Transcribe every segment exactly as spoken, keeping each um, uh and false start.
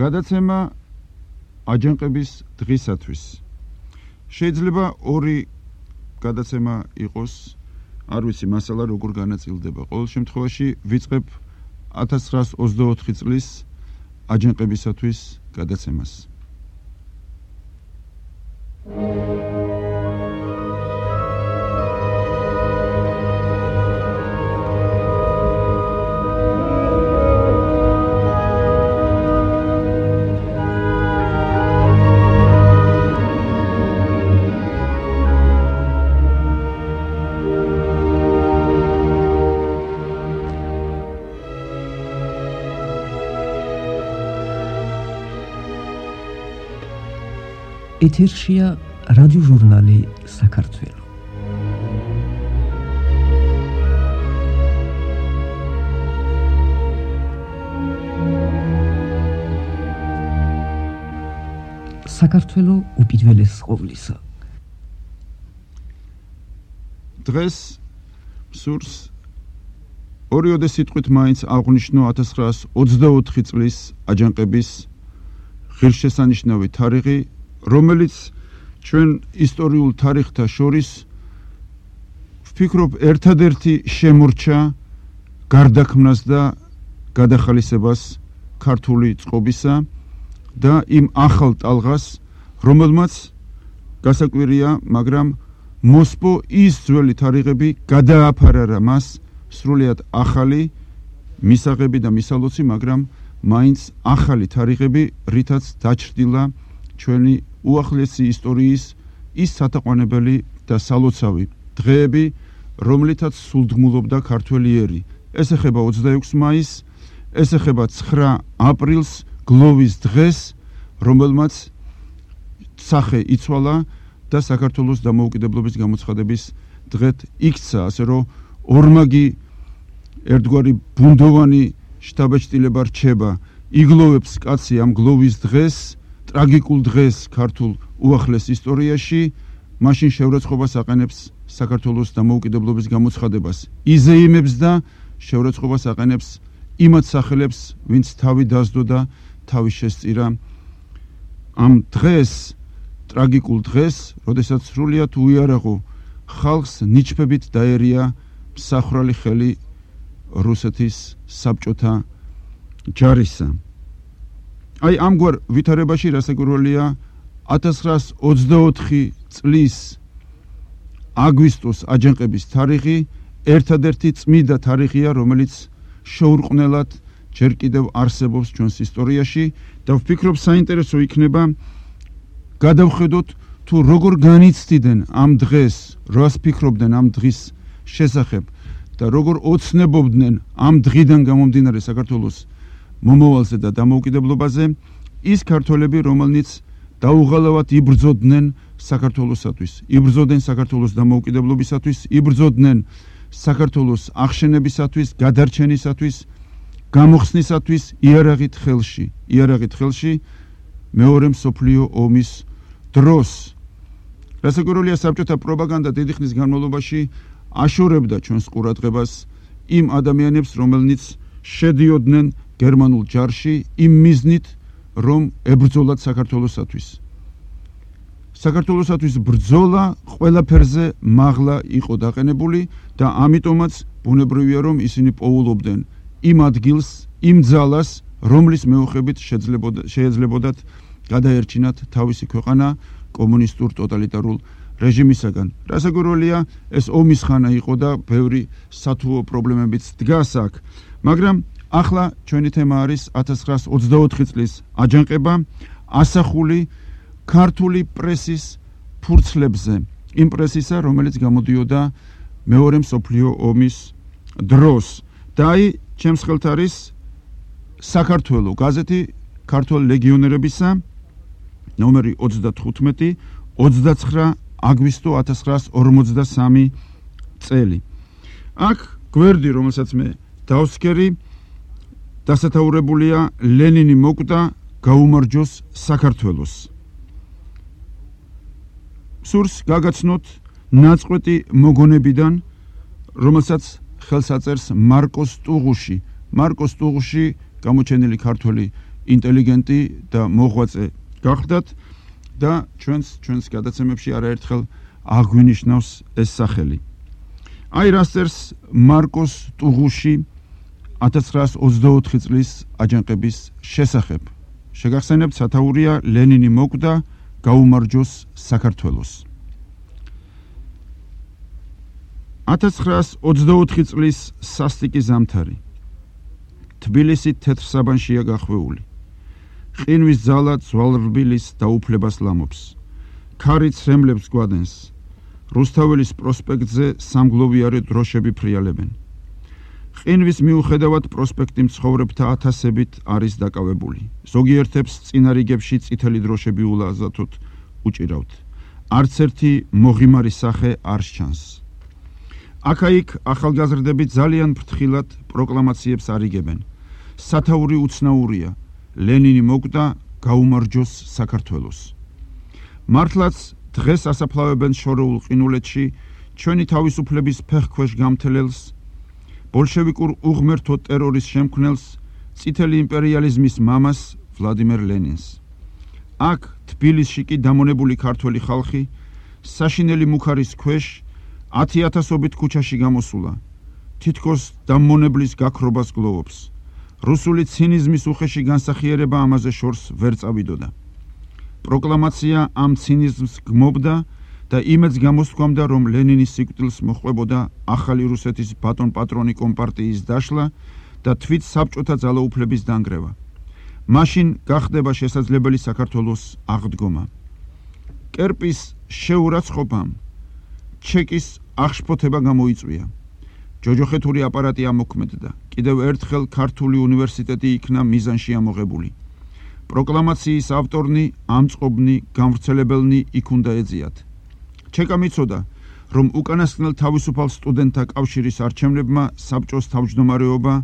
გადაცემა აჯანყების დღისათვის. შეიძლება ორი გადაცემა იყოს, არ ვიცი მასალა როგორ განაწილდება. ყოველ შემთხვევაში ვიწყებ ათას ცხრაას ოცდაოთხი წლის აჯანყებისათვის გადაცემას. ეთერშია რადიო ჟურნალი საქართველო. საქართველო უპირველეს ყოვლისა. დღეს სურს ორიოდე სიტყვით მაინც აღვნიშნო ათას ცხრაას ოცდაოთხი წლის აჯანყების ღირსშესანიშნავი თარიღი, რომელიც ჩვენ ისტორიულ თარიღთა შორის ვფიქრობ ერთადერთი შემორჩა გარდაქმნას და გადახალისებას ქართული წყობისა და იმ ახალ ტალღას, რომელმაც გასაკვირია, მაგრამ მოსპო ის ძველი თარიღები გადააფარარა მას სრულიად ახალი მისაღები და მისალოცი, მაგრამ მაინც ახალი თარიღები, რითაც დაჩრდილა ჩვენი უახლესი ისტორიის ის სათაყვანებელი და სალოცავი დღეები, რომლითაც სულდგმულობდა ქართველი ერი. ეს ეხება ოცდაექვსი მაისს, ეს ეხება ცხრა აპრილს, გლოვის დღეს, რომელმაც სახე იცვალა და საქართველოს დამოუკიდებლობის გამოცხადების დღედ იქცა, ასე რომ ორმაგი ერთგვარი ბუნდოვანი შთაბეჭდილება რჩება. იგლოვებს კაცი ამ გლოვის დღეს, ტრაგიკულ დღეს ქართულ უახლეს ისტორიაში, მაშინ შეურაცხყოფას აყენებს საქართველოს დამოუკიდებლობის გამოცხადებას. იზეიმებს და შეურაცხყოფას აყენებს იმათ სახელებს, ვინც თავი დასდო და თავი შესწირა ამ დღეს, ტრაგიკულ დღეს, როდესაც სრულიად უიარაღო ხალხს ნიჩბებით დაერია მსახრალი ხელი რუსეთის საბჭოთა ჯარისა. აი ამგვარ ვითარებაში რასაკვირველია ათას ცხრაას ოცდაოთხი წლის აგვისტოს აჯანყების თარიღი ერთადერთი წმიდა თარიღია, რომელიც შეურყვნელად ჯერ კიდევ არსებობს ჩვენს ისტორიაში და ვფიქრობ საინტერესო იქნება გადავხედოთ თუ როგორ განიცდიდნენ ამ დღეს, რას ფიქრობდნენ ამ დღის შესახებ და როგორ ოცნებობდნენ ამ დღიდან გამომდინარე საქართველოს მომავალზე და დამოუკიდებლობაზე ის ქართველები, რომელნიც დაუღალავად იბრძოდნენ საქართველოსათვის, იბრძოდნენ საქართველოს დამოუკიდებლობისათვის, იბრძოდნენ საქართველოს აღშენებისათვის, გადარჩენისათვის, გამოხსნისათვის იარაღით ხელში, იარაღით ხელში მეორე მსოფლიო ომის დროს. რასაკვირველია, საბჭოთა პროპაგანდა დიდი ხნის განმავლობაში აშორებდა ჩვენს ყურადღებას იმ ადამიანებს, რომელნიც შედიოდნენ გერმანულ ჯარში იმ მიზნით, რომ ებრძოლათ საქართველოსათვის. საქართველოსათვის ბრძოლა ყველაფერზე მაღლა იყო დაყენებული და ამიტომაც ბუნებრივია, რომ ისინი პოულობდნენ იმ ადგილს, იმ ძალას, რომლის მეოხებით შეეძლებოდათ გადაერჩინათ თავისი ქვეყანა კომუნისტურ ტოტალიტარულ რეჟიმისაგან. რასაკვირველია, ეს ომის ხანა იყო და ბევრი სათუო პრობლემებიც დგას აქ. მაგრამ ახლა ჩვენი თემა არის ათას ცხრაას ოცდაოთხი წლის აჯანყება, ასახული ქართული პრესის ფურცლებზე, იმ პრესისა, რომელიც გამოდიოდა მეორე მსოფლიო ომის დროს. და აი, ჩემს ხელთ არის საქართველო გაზეთი ქართველ ლეგიონერებისა, ნომერი ოცდათხუთმეტი, ოცდაცხრა აგვისტო ათას ცხრაას ორმოცდასამი წელი. აქ გვერდი, რომელსაც მე დავსქერი, დასათაურებულია ლენინი მოკვდა, გაუმარჯოს საქართველოს. სურს გაგაცნოთ ნაწყვეტი მოგონებიდან, რომელსაც ხელს აწერს მარკოს ტუღუში. მარკოს ტუღუში გამოჩენილი ქართველი ინტელიგენტი და მოღვაწე გახდათ და ჩვენს ჩვენს გადაცემებში არაერთხელ აღვინიშნავს ეს სახელი. აი რას წერს მარკოს ტუღუში ათას ცხრაას ოცდაოთხი წლის აჯანყების შესახებ. შეგახსენებთ, სათაურია ლენინი მოკვდა, გაუმარჯოს საქართველოს. ათას ცხრაას ოცდაოთხი წლის სასტიკი ზამთარი. თბილისი თეთრ საბანშია გახვეული. ყინვის ძალა ძვალრბილის დაუფლებას ლამობს. ქარი ცრემლებს გვადენს. რუსთაველის პროსპექტზე სამგლოვიარე დროშები ფრიალებენ. ყინვის მიუხედავად პროსპექტი მცხოვრებთა ათასებით არის დაკავებული. ზოგიერთებს წინა რიგებში წითელი დროშები ულაზათოდ უჭირავთ. არც ერთი მოღიმარი სახე არ სჩანს. აქა-იქ ახალგაზრდები ძალიან ფრთხილად პროკლამაციებს არიგებენ. სათაური უცნაურია, ლენინი მოკვდა, გაუმარჯოს საქართველოს. მართლაც დღეს ასაფლავებენ შორეულ ყინულეთში ჩვენი თავისუფლების ფეხქვეშ გამთელელს, ბოლშევიკურ უღმერთო ტერორის შემქმნელს, წითელი იმპერიალიზმის მამას ვლადიმერ ლენინს. აქ თბილისში კი დამონებული ქართველი ხალხი საშინელი მუქარის ქვეშ ათი ათასობით ქუჩაში გამოსულა. თითქოს დამონებლის გაქრობას გლოვობს. რუსული ცინიზმის უხეში განსახიერება ამაზე შორს ვერ წავიდოდა. პროკლამაცია ამ ცინიზმს გმობდა და იმედს გამოსთქვამდა, რომ ლენინის სიკვდილს მოჰყვებოდა ახალი რუსეთის ბატონ პატრონი კომპარტიის დაშლა და თვით საბჭოთა ძალაუფლების დანგრევა. მაშინ გახდება შესაძლებელი საქართველოს აღდგომა. კერპის შეურაცხყოფამ ჩეკის აღშფოთება გამოიწვია. ჯოჯოხეთური აპარატი ამოქმედდა. კიდევ ერთხელ ქართული უნივერსიტეტი იქნა მიზანში ამოღებული. პროკლამაციის ავტორნი, ამწყობნი, გამვრცელებელნი იქ უნდა ეძიათ. ჩეკამ იცოდა, რომ უკანასკნელ თავისუფალ სტუდენტთა კავშირის არჩევნებმა საბჭოს თავმჯდომარეობა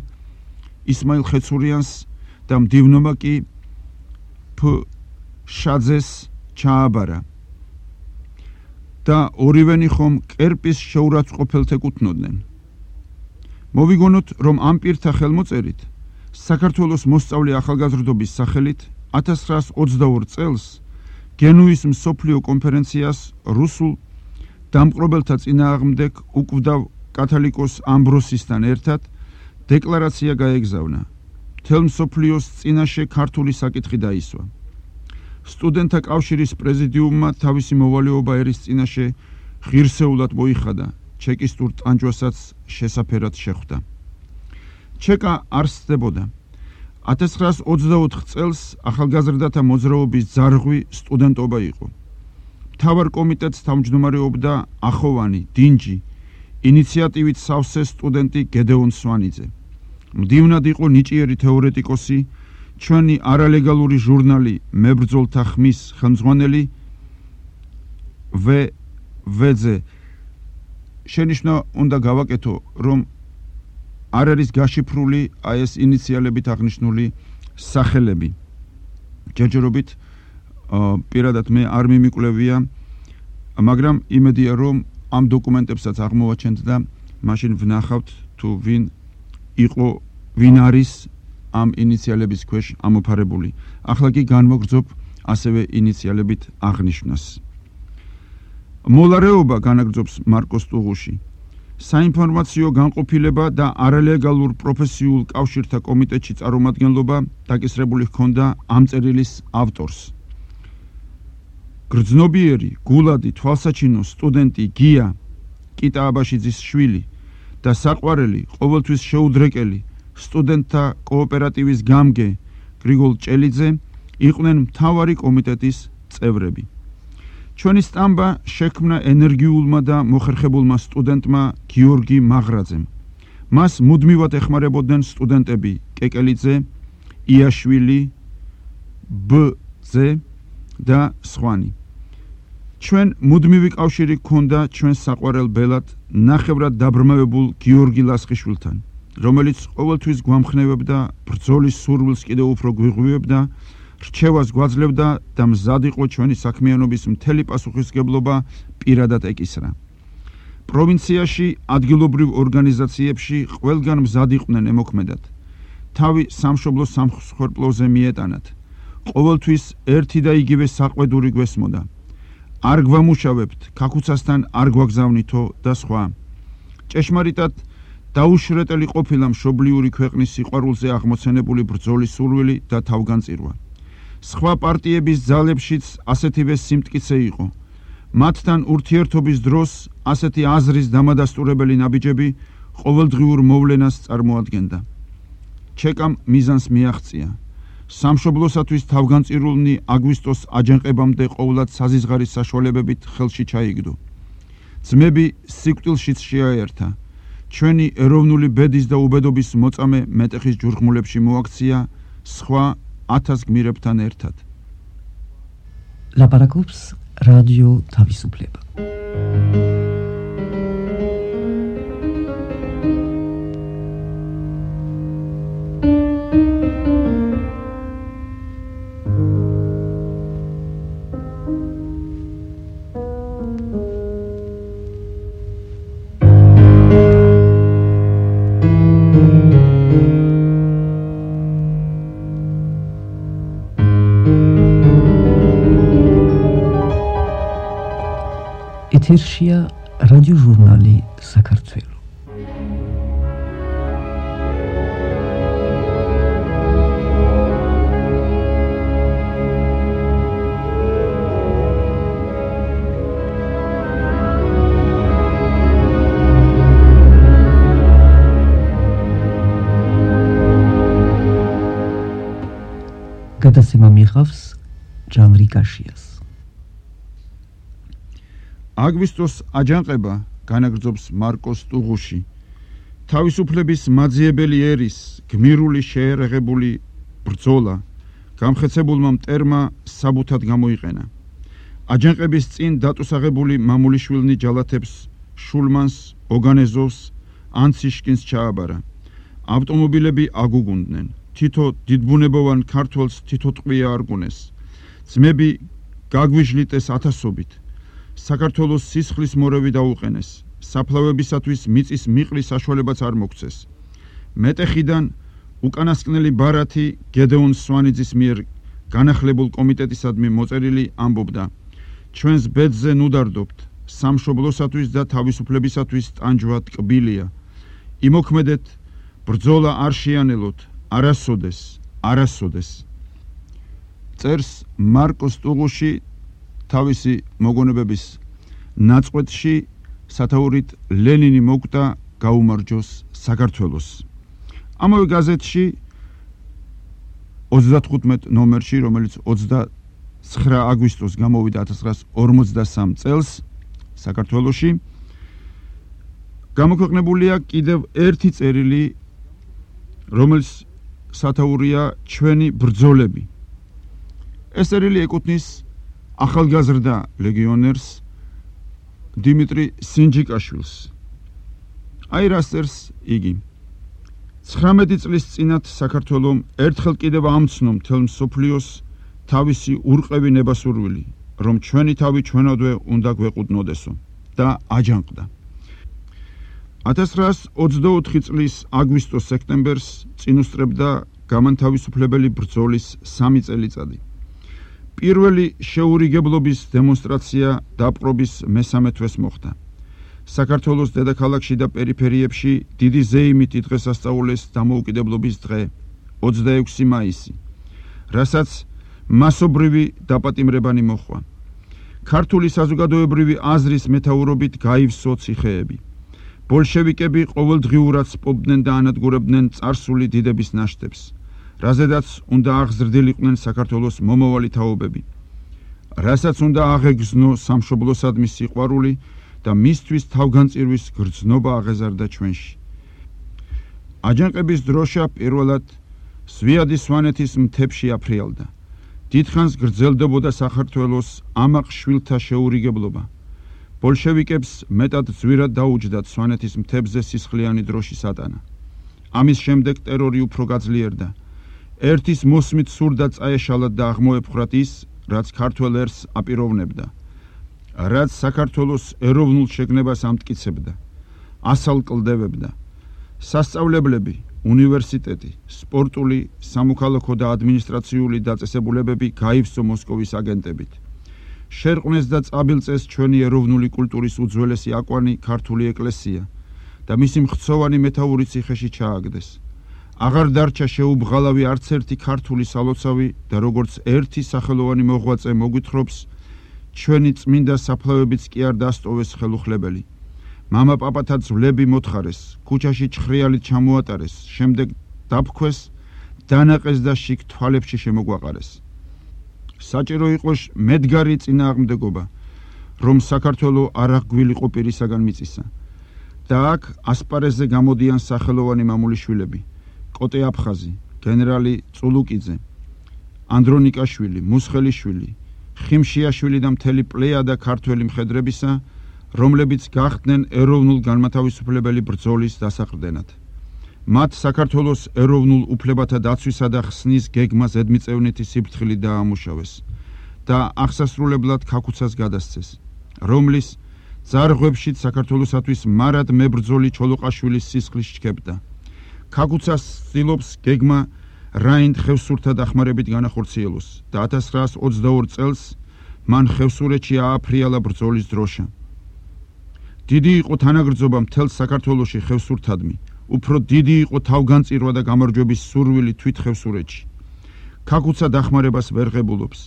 ისმაილ ხეცურიანს და მდივნობა კი ფ შაძეს ჩააბარა. და ორივენი ხომ კერპის შეურაცხყოფელთ ეკუთვნოდნენ. მოვიგონოთ, რომ ამ პირთა ხელმოწერით საქართველოს მოსწავლე ახალგაზრდობის სახელით ათას ცხრაას ოცდაორ წელს გენუის მსოფლიო კონფერენციას რუსულ დამპყრობელთა წინააღმდეგ უკვდავ კათოლიკოს ამბროსისთან ერთად დეკლარაცია გაეგზავნა. მთელ მსოფლიოს წინაშე ქართული საკითხი დაისვა. სტუდენტთა კავშირის პრეზიდიუმმა თავისი მოვალეობა ერის წინაშე ღირსეულად მოიხადა, ჩეკისტურ ტანჯვასაც შესაფერად შეხვდა. ჩეკა არ სცდებოდა. ათას ცხრაას ოცდაოთხ წელს ახალგაზრდათა მოძრაობის ძარღვი სტუდენტობა იყო. მთავარ კომიტეტს თავმჯდომარეობდა ახოვანი, დინჯი, ინიციატივით სავსე სტუდენტი გედეონ სვანიძე. მდივნად იყო ნიჭიერი თეორეტიკოსი, ჩვენი არალეგალური ჟურნალი მებრძოლთა ხმის ხელმძღვანელი ვე ვეძე. შენიშვნა უნდა გავაკეთო, რომ არ არის გაშიფრული აი ეს ინიციალებით აღნიშნული სახელები. ჯერჯერობით პირადად მე არ მიმიკვლევია, მაგრამ იმედია, რომ ამ დოკუმენტებსაც აღმოვაჩენთ და მაშინ ვნახავთ თუ ვინ იყო, ვინ არის ამ ინიციალების ქვეშ ამოფარებული. ახლა კი განმოგრძობ ასევე ინიციალებით აღნიშვნას. მოლარეობა განაგრძობს მარკოს ტუღუში. საინფორმაციო განყოფილება და არალეგალურ პროფესიულ კავშირთა კომიტეტში წარმომადგენლობა დაკისრებული ჰქონდა ამ წერილის ავტორს. გრძნობიერი, გულადი, თვალსაჩინო სტუდენტი გია კიტა აბაშიძის შვილი და საყვარელი, ყოველთვის შეუდრეკელი სტუდენტთა კოოპერატივის გამგე გრიგოლ ჭელიძე იყვნენ მთავარი კომიტეტის წევრები. ჩვენი სტამბა შექმნა ენერგიულმა და მოხერხებულმა სტუდენტმა გიორგი მაღრაძემ. მას მუდმივად ეხმარებოდნენ სტუდენტები კეკელიძე, იაშვილი, ბ-ძე და სხვანი. ჩვენ მუდმივი კავშირი ჰქონდა ჩვენს საყვარელ ბელად ნახევრად დაბრმავებულ გიორგი ლასხიშვილთან, რომელიც ყოველთვის გვამხნევებდა, ბრძოლის სურვილს კიდევ უფრო გვიღვივებდა, რჩევას გვაძლევდა და მზად იყო ჩვენი საქმიანობის მთელი პასუხისგებლობა პირადად ეკისრა. პროვინციაში ადგილობრივ ორგანიზაციებში ყველგან მზად იყვნენ ემოქმედად. თავი სამშობლოს სამსხვერპლოზე მიეტანათ. ყოველთვის ერთი და იგივე საყვედური გვესმოდა. არ გვამუშავებთ, ქაქუცასთან არ გვაგზავნითო და სხვა. ჭეშმარიტად დაუშრეტელი ყოფილა მშობლიური ქვეყნის სიყვარულზე აღმოცენებული ბრძოლის სურვილი და თავგანწირვა. სხვა პარტიების ძალებშიც ასეთივე სიმტკიცე იყო. მათთან ურთიერთობის დროს ასეთი აზრის დამადასტურებელი ნაბიჯები ყოველდღიურ მოვლენას წარმოადგენდა. ჩეკამ მიზანს მიაღწია. სამშობლოსათვის თავგანწირულნი აგვისტოს აჯანყებამდე ყოვლად საზიზღარის საშუალებებით ხელში ჩაიგდო. ძმები სიკვდილშიც შეაერთა. ჩვენი ეროვნული ბედის და უბედობის მოწამე მეტეხის ჯურხმულებში მოაქცია სხვა ათას გმირებთან ერთად. ლაპარაკობს რადიო თავისუფლება. ეთერშია რადიო ჟურნალი საქართველო. გადაცემა მიიღავს ჟანრი კაშიას. აგვისტოს აჯანყება განაგრძობს მარკოს ტუღუში. თავისუფლების მაძიებელი ერის გმირული შეერაღებული ბრძოლა გამხეცებულმა მტერმა საბუთად გამოიყენა. აჯანყების წინ დატუსაღებული მამულიშვილნი ჯალათებს შულმანს, ოგანეზოვს, ანციშკინს ჩააბარა. ავტომობილები აგუგუნდნენ. თითო დიდბუნებოვან ქართველს თითო ტყვია არგუნეს. ძმები გაგვიჟლიტეს ათასობით. საქართველოს სისხლის მორევი დაუყენეს. საფლავებისათვის მიწის მიყრის საშუალებაც არ მოგცეს. მეტეხიდან უკანასკნელი ბარათი გედეონ სვანიძის მიერ განახლებულ კომიტეტისადმი მოწერილი ამბობდა: ჩვენს ბედზე ნუდარდობთ, სამშობლოსათვის და თავისუფლებისათვის ტანჯვა ტკბილია. იმოქმედეთ, ბრძოლა არ შეანელოთ, არასოდეს, არასოდეს. წერს მარკოს ტუღუში თავისი მოგონებების ნაწყვეტში სათაურით ლენინი მოკვდა გაუმარჯოს საქართველოს. ამავე გაზეთში ოცდათხუთმეტ ნომერში, რომელიც ოცდაცხრა აგვისტოს გამოვიდა ათას ცხრაას ორმოცდასამ წელს საქართველოში, გამოქვეყნებულია კიდევ ერთი წერილი, რომელიც სათაურია ჩვენი ბრძოლები. ეს წერილი ეკუთვნის ახალგაზრდა ლეგიონერს დიმიტრი სინჯიკაშვილს. აი რას წერს იგი: ცხრამეტი წლის წინათ საქართველომ ერთხელ კიდევ ამცნო მთელ მსოფლიოს თავისი ურყევი ნებასურვილი, რომ ჩვენი თავი ჩვენადვე უნდა გვეყუდნოდესო და აჯანყდა. ათას ცხრაას ოცდაოთხი წლის აგვისტოს სექტემბერს წინ უსწრებდა გამანთავისუფლებელი ბრძოლის სამი წელიწადი. პირველი შეურიგებლობის დემონსტრაცია დაპყრობის მესამე თვეს მოხდა. საქართველოს დედაქალაქში და პერიფერიებში დიდი ზეიმით დღესასწაულეს დამოუკიდებლობის დღე, ოცდაექვსი მაისი, რასაც მასობრივი დაპატიმრებანი მოჰყვა. ქართული საზოგადოებრივი აზრის მეთაურობით გაივსო ციხეები. ბოლშევიკები ყოველდღიურად სპობდნენ და ანადგურებდნენ წარსული დიდების ნაშთებს, რაზედაც უნდა აღზრდილიყვნენ საქართველოს მომავალი თაობები, რასაც უნდა აღეგზნო სამშობლოსადმი სიყვარული და მისთვის თავგანწირვის გრძნობა აღეზარდა ჩვენში. აჯანყების დროშა პირველად სვიადის სვანეთის მთებში აფრიალდა. დიდხანს გრძელდებოდა საქართველოს ამაყ შვილთა შეურიგებლობა. ბოლშევიკებს მეტად ძვირად დაუჯდათ სვანეთის მთებზე სისხლიანი დროშის ატანა. ამის შემდეგ ტერორი უფრო გაძლიერდა. ერთის მოსმით სურდა წაეშალათ და აღმოეფხრათ ის, რაც ქართველ ერს აპიროვნებდა, რაც საქართველოს ეროვნულ შეგნებას ამტკიცებდა, ასალ კლდებებდა. სასწავლებლები, უნივერსიტეტი, სპორტული, სამოქალაქო და ადმინისტრაციული დაწესებულებები გაივსო მოსკოვის აგენტებით. შერყვნეს და წაბილწეს ჩვენი ეროვნული კულტურის უძველესი აკვანი ქართული ეკლესია და მისი მხცოვანი მეთაური ციხეში ჩააგდეს. აღარ დარჩა შეუბღალავი არც ერთი ქართული სალოცავი და როგორც ერთი სახელოვანი მოღვაწე მოგვითხრობს, ჩვენი წმინდა საფლავებიც კი არ დასტოვეს ხელუხლებელი. მამა პაპათა ძვლები მოთხარეს, ქუჩაში ჩხრიალით ჩამოატარეს, შემდეგ დაფქვეს, დანაყეს და შიგ თვალებში შემოგვაყარეს. საჭირო იყოს მედგარი წინააღმდეგობა, რომ საქართველო არ აღგვილიყო პირისაგან მიწისა. და აქ ასპარეზზე გამოდიან სახელოვანი მამულიშვილები, კოტე აფხაზი, გენერალი წულუკიძე, ანდრონიკაშვილი, მუსხელიშვილი, ხიმშიაშვილი და მთელი პლეიადა ქართველი მხედრებისა, რომლებიც გახდნენ ეროვნულ განმათავისუფლებელი ბრძოლის დასაყრდენად. მათ საქართველოს ეროვნულ უფლებათა დაცვისა და ხსნის გეგმა ზედმიწევნითი სიფრთხილით დაამუშავეს და აღსასრულებლად ქაქუცას გადასცეს, რომლის ძარღვებშიც საქართველოსათვის მარად მებრძოლი ჩოლოყაშვილის სისხლის ჩქებდა. ქაქუცას ცდილობს გეგმა რაინდ ხევსურთა დახმარებით განახორციელოს და ათას ცხრაას ოცდაორ წელს მან ხევსურეთში ააფრიალა ბრძოლის დროშა. დიდი იყო თანაგრძობა მთელ საქართველოში ხევსურთადმი, უფრო დიდი იყო თავგანწირვა და გამარჯვების სურვილი თვით ხევსურეთში. ქაქუცა დახმარებას ვერ ღებულობს.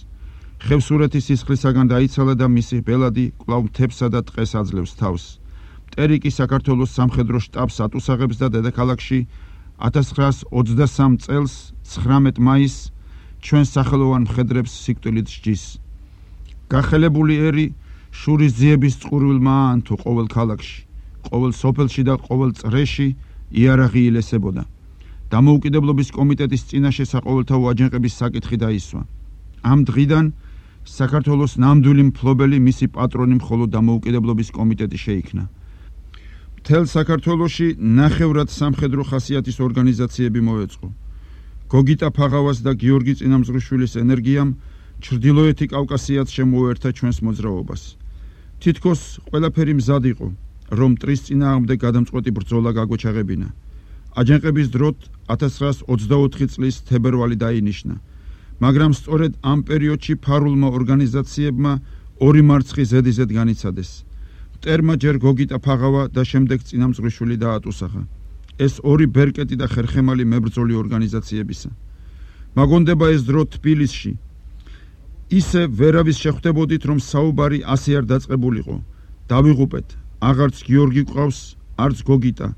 ხევსურეთის სისხლისაგან დაიცალა და მისი ბელადი კვლავ მთებსა და ტყეს აძლევს თავს. მტერი კი საქართველოს სამხედრო შტაბს ატუსაღებს და დედაქალაქში ათას ცხრაას ოცდასამ წელს ცხრამეტ მაისს ჩვენ სახელოვან მხედრებს სიკვდილით სჯის. გახელებული ერი შურის ძიების წყურვილმა აანთო ყოველ ქალაქში, ყოველ სოფელში და ყოველ წრეში იარაღი ილესებოდა. დამოუკიდებლობის კომიტეტის წინაშე საყოველთაო აჯანყების საკითხი დაისვა. ამ დღიდან საქართველოს ნამდვილი მფლობელი მისი პატრონი მხოლოდ დამოუკიდებლობის კომიტეტი შეიქმნა. მთელ საქართველოში ნახევრად სამხედრო ხასიათის ორგანიზაციები მოეწყო. გოგიტა ფაღავას და გიორგი წინამძღვრიშვილის ენერგიამ ჩრდილოეთი კავკასიაც შემოერთა ჩვენს მოძრაობას. თითქოს ყველაფერი მზად იყო, რომ მტრის წინააღმდეგ გადამწყვეტი ბრძოლა გაგვეჩაღებინა. აჯანყების დროთ ათას ცხრაას ოცდაოთხი წლის თებერვალი დაინიშნა, მაგრამ სწორედ ამ პერიოდში ფარულმა ორგანიზაციებმა ორი მარცხი ზედიზედ განიცადეს. მტერმა ჯერ გოგიტა ფაღავა და შემდეგ წინამძღვრიშვილი დაატუსახა. ეს ორი ბერკეტი და ხერხემალი მებრძოლი ორგანიზაციებისა. მაგონდება ეს დრო თბილისში. ისე ვერავის შეხვდებოდით, რომ საუბარი ასე არ დაწყებულიყო. დავიღუპეთ, აღარც გიორგი ყავს, არც გოგიტა,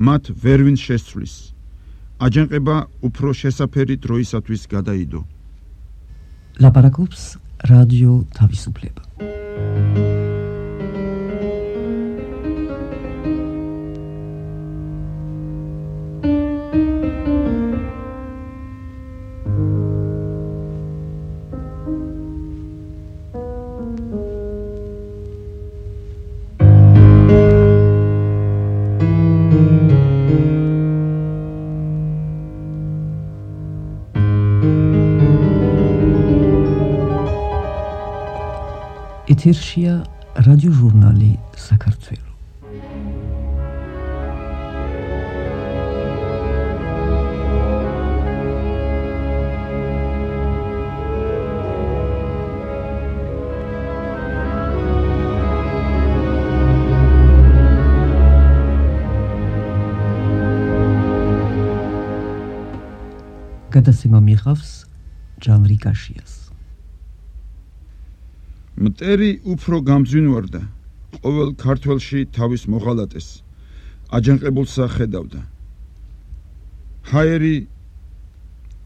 მათ ვერვინ შესცვლის. აჯანყება უფრო შესაფერი დროისათვის გადაიდო. ლაპარაკობს რადიო თავისუფლება. ეთერშია რადიო ჟურნალი საქართველო. გადაცემა მიიღავს ჯანრი კაშიას. მტერი უფრო გამძვინვარდა, ყოველ ქართველში თავის მოღალატეს, აჯანყებულსა ხედავდა. ჰაერი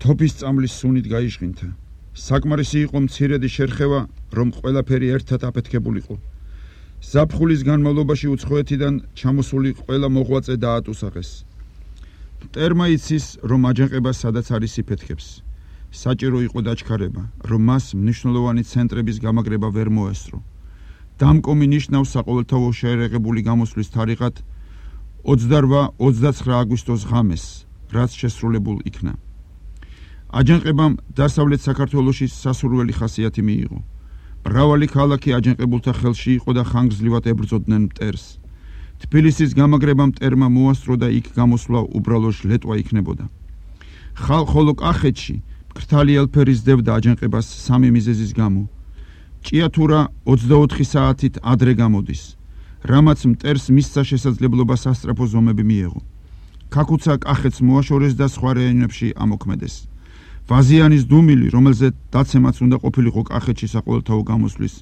თოფის წამლის სუნით გაიჟღინთა. საკმარისი იყო მცირედი შერხევა, რომ ყველაფერი ერთად აფეთქებულიყო. ზაფხულის განმავლობაში უცხოეთიდან ჩამოსული ყველა მოღვაწე დაატუსაღეს. მტერმა იცის, რომ აჯანყება სადაც არის იფეთქებს. საჭირო იყო დაჩქარება, რომ მას მნიშვნელოვანი ცენტრების გამაგრება ვერ მოესწრო. დამკომი ნიშნავს საყოველთაო შეერეღებული გამოსვლის თარიღად ოცდაოთხ ოცდაცხრა აგვისტოს ღამეს, რაც შესრულებულ იქნა. აჯანყებამ დასავლეთ საქართველოში სასურველი ხასიათი მიიღო. მრავალი ქალაქი აჯანყებულთა ხელში იყო და ხანგრძლივად ებრძოდნენ მტერს. თბილისის გამაგრებამ მტერმა მოასწრო და იქ გამოსვლა უბრალო ჟლეტვა იქნებოდა. ხოლო კახეთში მკრთალი ელფერი ზრდებდა აჯანყებას სამი მიზეზის გამო. ჭიათურა ოცდაოთხი საათით ადრე გამოდის, რამაც მტერს მისცა შესაძლებლობა სასწრაფო ზომები მიეღო. ქაქუცა კახეთს მოაშორეს და სხვა რაიონებში ამოქმედეს. ვაზიანის დუმილი, რომელზე დაცემაც უნდა ყოფილიყო კახეთში საყოველთაო გამოსვლის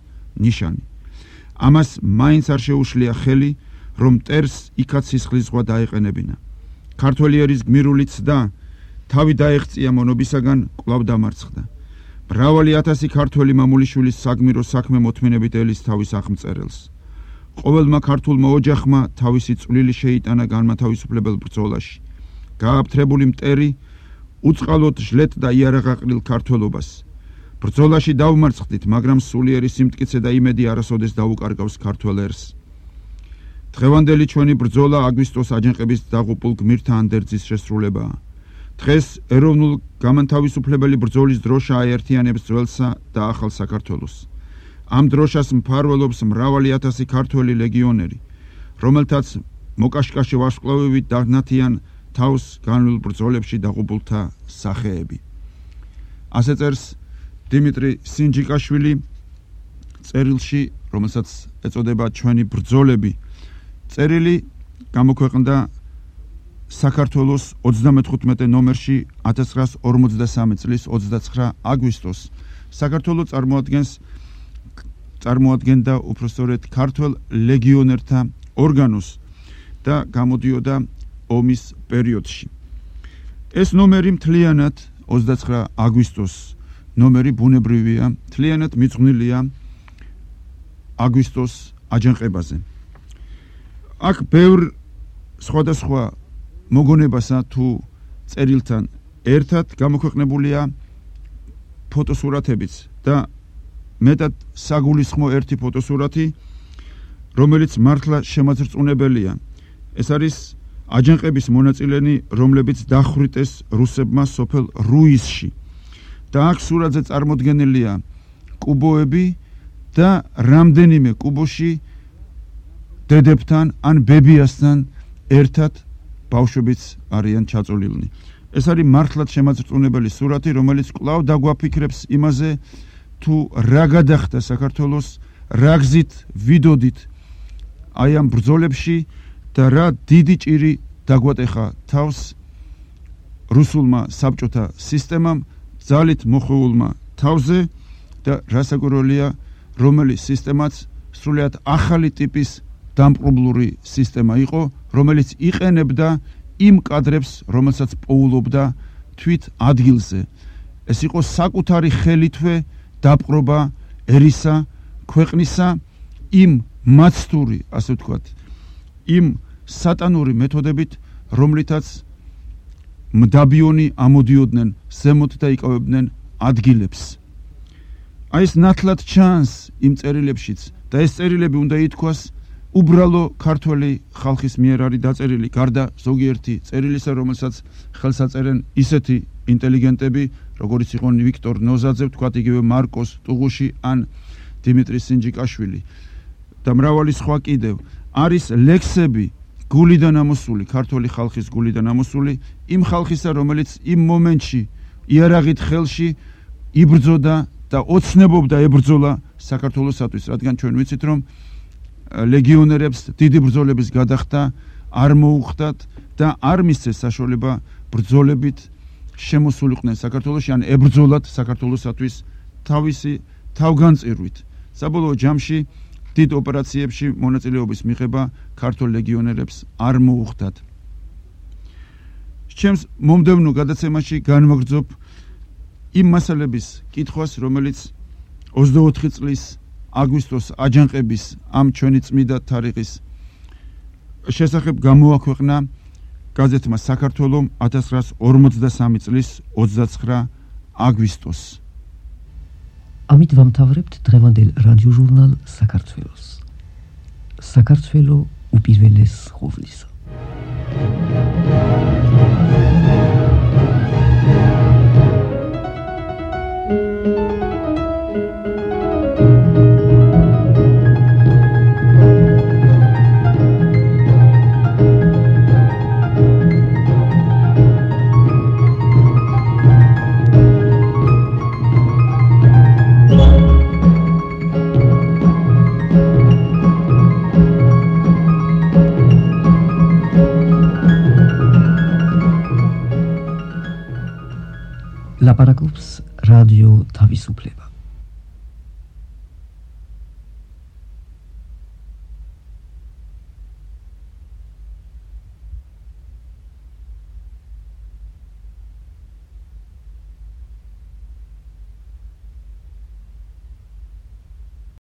ნიშანი. ამას მაინც არ შეუშლია ხელი, რომ მტერს იქაც სისხლის ზღვა დაეყენებინა. ქართველი ერის გმირული ცდა თავი დაეღწია მონობისაგან კვლავ დამარცხდა. მრავალი ათასი ქართველი მამულიშვილის საგმირო საქმე მოთმინებით ელის თავის აღმწერელს. ყოველმა ქართულმა ოჯახმა თავისი წვლილი შეიტანა განმათავისუფლებელ ბრძოლაში. გააფთრებული მტერი უწყალოდ ჟლეტდა იარაღაყრილ ქართველობას. ბრძოლაში დავმარცხდით, მაგრამ სულიერი სიმტკიცე და იმედი არასოდეს დაუკარგავს ქართველ ერს. დღევანდელი ჩვენი ბრძოლა აგვისტოს აჯანყების დაღუპულ გმირთა ანდერძის შესრულებაა. დღეს ეროვნულ გამანთავისუფლებელი ბრძოლის დროშა აერთიანებს ძველსა და ახალ საქართველოს. ამ დროშას მფარველობს მრავალი ათასი ქართველი ლეგიონერი, რომელთაც მოკაშკაშე ვარსკვლავებით დაღნათიან თავს განვლილ ბრძოლებში დაღუპულთა სახეები. ასე წერს დიმიტრი სინჯიკაშვილი წერილში, რომელსაც ეწოდება ჩვენი ბრძოლები. წერილი გამოქვეყნდა საქართველოს ოცდამეთხუთმეტე ნომერში ათას ცხრაას ორმოცდასამი წლის ოცდაცხრა აგვისტოს. საქართველო წარმოადგენს წარმოადგენდა უпростоრეთ ქართველ ლეგიონერთა ორგანოს და გამოდიოდა ომის პერიოდში. ეს ნომერი მთლიანად ოცდაცხრა აგვისტოს ნომერი ბუნებრივია, მთლიანად მიძღვნილია აგვისტოს აჯანყებაზე. აქ ბევრ სხვადასხვა მოგონებასა თუ წერილთან ერთად გამოქვეყნებულია ფოტოსურათებიც და მეტად საგულისხმო ერთი ფოტოსურათი, რომელიც მართლა შემაძრწუნებელია. ეს არის აჯანყების მონაწილენი, რომლებიც დახვრიტეს რუსებმა სოფელ რუისში. და აქ სურათზე წარმოდგენილია კუბოები და რამდენიმე კუბოში დედებთან ან ბებიასთან ერთად ბავშვებიც არიან ჩაწოლილნი. ეს არის მართლაც შემაძრწუნებელი სურათი, რომელიც კვლავ დაგვაფიქრებს იმაზე, თუ რა გადახდა საქართველოს, რა გზით ვიდოდით აი ამ ბრძოლებში და რა დიდი ჭირი დაგვატეხა თავს რუსულმა საბჭოთა სისტემამ, ძალით მოხეულმა თავზე და რასაკვირველია, რომელი სისტემაც სრულიად ახალი ტიპის დამპყრობლური სისტემა იყო, რომელიც იყენებდა იმ კადრებს, რომელსაც პოულობდა თვით ადგილზე. ეს იყო საკუთარი ხელითვე დაპყრობა ერისა, ქვეყნისა, იმ მაცდური, ასე ვთქვათ, იმ სატანური მეთოდებით, რომლითაც მდაბიონი ამოდიოდნენ ზემოთ და იკავებდნენ ადგილებს. აი ეს ნათლად ჩანს იმ წერილებშიც და ეს წერილები უნდა ითქვას უბრალო ქართველი ხალხის მიერ არის დაწერილი, გარდა ზოგიერთი წერილისა, რომელსაც ხელს აწერენ ისეთი ინტელიგენტები, როგორიც იყვნენ ვიქტორ ნოზაძე, ვთქვათ იგივე მარკოს ტუღუში ან დიმიტრი სინჯიკაშვილი და მრავალი სხვა კიდევ. არის ლექსები გულიდან ამოსული, ქართული ხალხის გულიდან ამოსული, იმ ხალხისა, რომელიც იმ მომენტში იარაღით ხელში იბრძოდა და ოცნებობდა ებრძოლა საქართველოსათვის, რადგან ჩვენ ვიცით, რომ ლეგიონერებს დიდი ბრძოლების გადახდა არ მოუხდათ და არ მისცეს საშუალება ბრძოლებით შემოსულიყვნენ საქართველოში, ან ებრძოლათ საქართველოსათვის თავისი თავგანწირვით. საბოლოო ჯამში დიდ ოპერაციებში მონაწილეობის მიღება ქართულ ლეგიონერებს არ მოუხდათ. ჩემს მომდევნო გადაცემაში განვაგრძობ იმ მასალების კითხვას, რომელიც ოცდაოთხი წლის აგვისტოს აჯანყების ამ ჩვენი წმიდა თარიღის შესახებ გამოაქვეყნა გაზეთმა საქართველომ ათას ცხრაას ორმოცდასამი წლის ოცდაცხრა აგვისტოს. ამით ვამთავრებთ დღევანდელ რადიო ჟურნალ საქართველოს. საქართველო უპირველეს ყოვლისა. ლაპარაკობს რადიო თავისუფლება.